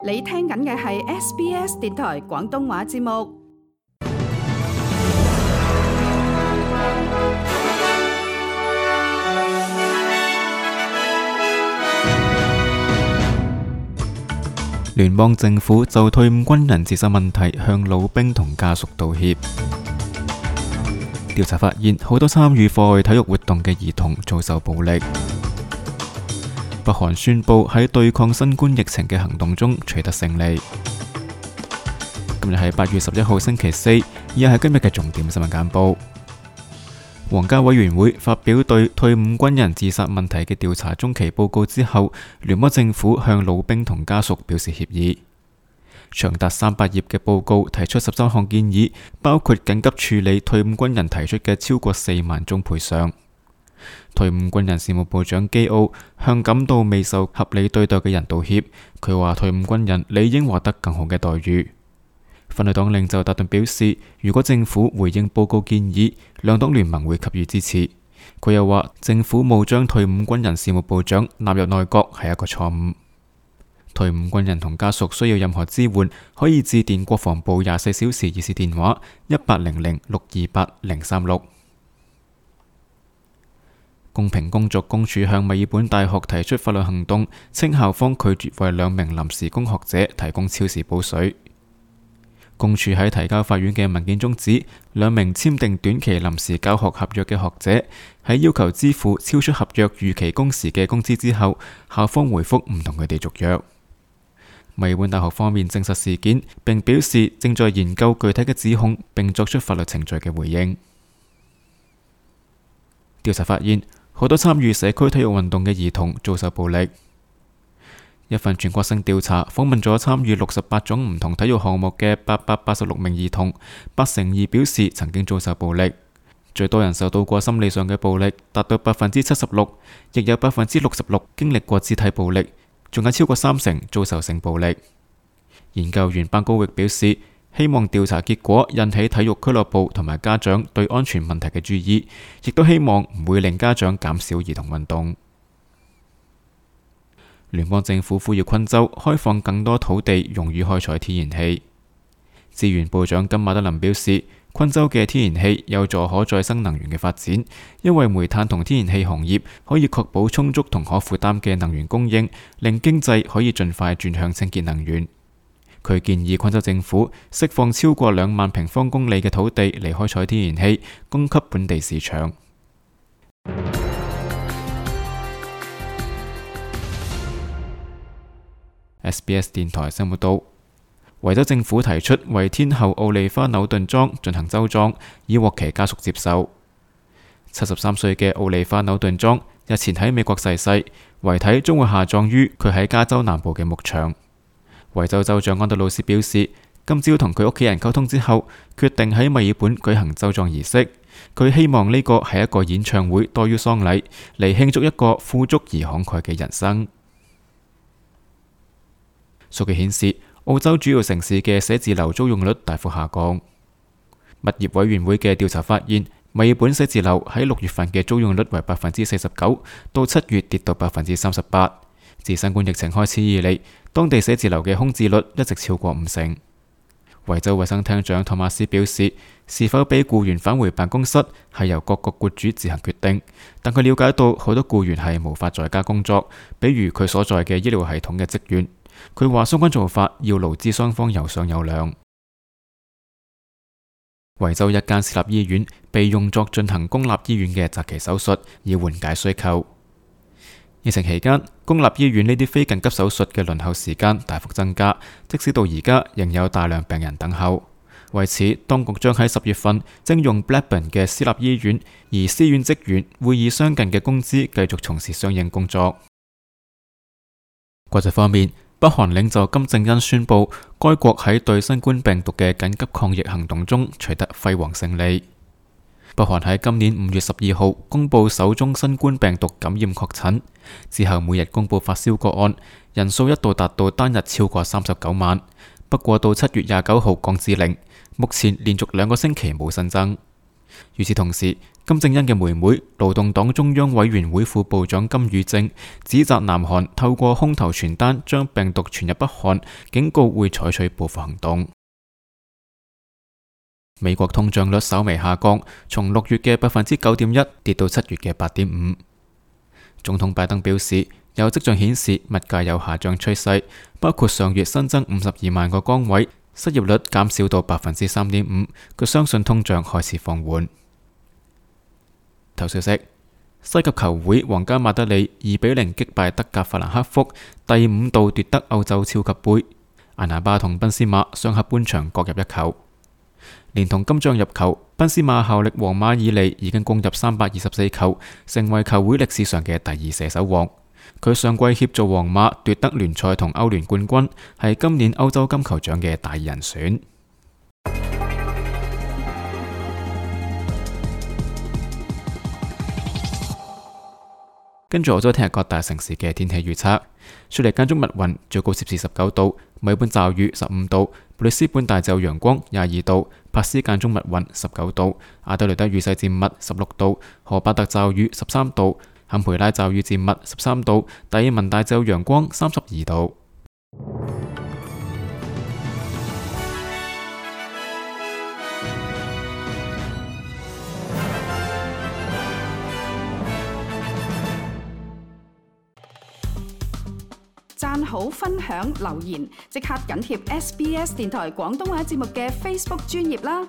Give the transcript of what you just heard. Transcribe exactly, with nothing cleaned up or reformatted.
你聽緊嘅係 S B S 電台廣東話節目。聯邦政府就退伍軍人自殺問題向老兵同家屬道歉。調查發現，好多參與課外體育活動嘅兒童遭受暴力。北韓宣布喺對抗新冠疫情嘅行動中取得勝利。今日係八月十一號星期四，以下係今日嘅重點新聞簡報。皇家委員會發表對退伍軍人自殺問題嘅調查中期報告之後，聯邦政府向老兵同家屬表示歉意。長達三百頁嘅報告提出十三項建議，包括緊急處理退伍軍人提出嘅超過四萬宗賠償。退伍軍人事務部長基奧向感到未受合理對待嘅人道歉，佢話退伍軍人理應獲得更好嘅待遇。反對黨領袖達頓表示，如果政府回應報告建議，兩黨聯盟會給予支持。佢又話，政府冇將退伍軍人事務部長納入內閣係一個錯誤。退伍軍人同家屬需要任何支援，可以致電國防部廿四小時熱線電話一八零零六二八零三六。公平工作公署向墨爾本大學提出法律行動，稱校方拒絕為兩名臨時工學者提供超時補水。公署喺提交法院嘅文件中指，兩名簽訂短期臨時教學合約嘅學者喺要求支付超出合約預期工時嘅工資之後，校方回覆唔同佢哋續約。墨爾本大學方面證實事件，並表示正在研究具體嘅指控，並作出法律程序嘅回應。調查發現，好多參與社區體育運動嘅兒童遭受暴力。一份全國性調查訪問咗參與六十八種唔同體育項目嘅八百八十六名兒童，八成二表示曾經遭受暴力。最多人受到過心理上嘅暴力，達到百分之七十六，亦有百分之六十六經歷過肢體暴力，仲有超過三成遭受性暴力。研究員班高域表示，希望調查結果引起體育俱樂部同埋家長對安全問題嘅注意，亦都希望唔會令家長減少兒童運動。聯邦政府呼籲昆州開放更多土地用於開採天然氣。資源部長金馬德林表示，昆州嘅天然氣有助可再生能源嘅發展，因為煤炭同天然氣行業可以確保充足同可負擔嘅能源供應，令經濟可以盡快轉向清潔能源。佢建議昆州政府釋放超過兩萬平方公里嘅土地嚟開採天然氣，供給本地市場。S B S 電台新聞報道，維州政府提出為天后奧利花紐頓莊進行州葬，以獲其家屬接受。七十三歲嘅奧利花紐頓莊日前喺美國逝世，遺體將會下葬於佢喺加州南部嘅牧場。維州州長安德魯斯表示，今朝同佢屋企人溝通之後，決定喺墨爾本舉行州葬儀式。佢希望呢個係一個演唱會多於喪禮，嚟慶祝一個富足而慷慨嘅人生。數據顯示，澳洲主要城市嘅寫字樓租用率大幅下降。物業委員會嘅調查發現，墨爾本寫字樓喺六月份嘅租用率為百分之四十九，到七月跌到百分之三十八。自新冠疫情開始以嚟，當地寫字樓嘅空置率一直超過五成。維州衛生廳長托馬斯表示，是否俾僱員返回辦公室係由各個僱主自行決定，但佢了解到好多僱員係無法在家工作，比如佢所在嘅醫療系統嘅職員。佢話相關做法要勞資雙方有商有量。維州一間私立醫院被用作進行公立醫院嘅擇期手術，以緩解需求。疫情期間，公立醫院呢啲非緊急手術嘅輪候時間大幅增加，即使到而家仍有大量病人等候。為此，當局將喺十月份徵用 Blackburn 嘅私立醫院，而私院職員會以相近嘅工資繼續從事相應工作。國際方面，北韓領袖金正恩宣布，該國喺對新冠病毒嘅緊急抗疫行動中取得輝煌勝利。北韓喺今年五月十二號公布首宗新冠病毒感染確診，之後每日公布發燒個案，人數一度達到單日超過三十九萬。不過到七月廿九號降至零，目前連續兩個星期冇新增。與此同時，金正恩嘅妹妹、勞動黨中央委員會副部長金與正指責南韓透過空投傳單將病毒傳入北韓，警告會採取報復行動。美國通脹率稍微下降，從六月嘅百分之九點一跌到七月嘅八點五。總統拜登表示，有跡象顯示物價有下降趨勢，包括上月新增五十二萬個崗位，失業率減少到百分之三點五。佢相信通脹開始放緩。頭消息：西甲球會皇家馬德里二比零擊敗德甲法蘭克福，第五度奪得歐洲超級杯。艾拿巴同賓斯馬上下半場各入一球。連同金像入球，賓斯馬效力皇馬以嚟已經攻入三百二十四球，成為球會歷史上嘅第二射手王。佢上季協助皇馬奪得聯賽同歐聯冠軍，係今年歐洲金球獎嘅大人選。跟住我再聽日各大城市嘅天氣預測：雪梨間中密雲，最高攝氏十九度；墨爾本驟雨十五度；布里斯本大驟陽光廿二度；珀斯間中密雲十九度；阿德雷德雨勢漸密十六度；荷巴特驟雨十三度；坎培拉驟雨漸密十三度；達爾文大驟陽光三十二度。讚好、分享、留言，即刻緊貼 S B S 電台廣東話節目嘅 Facebook 專頁啦！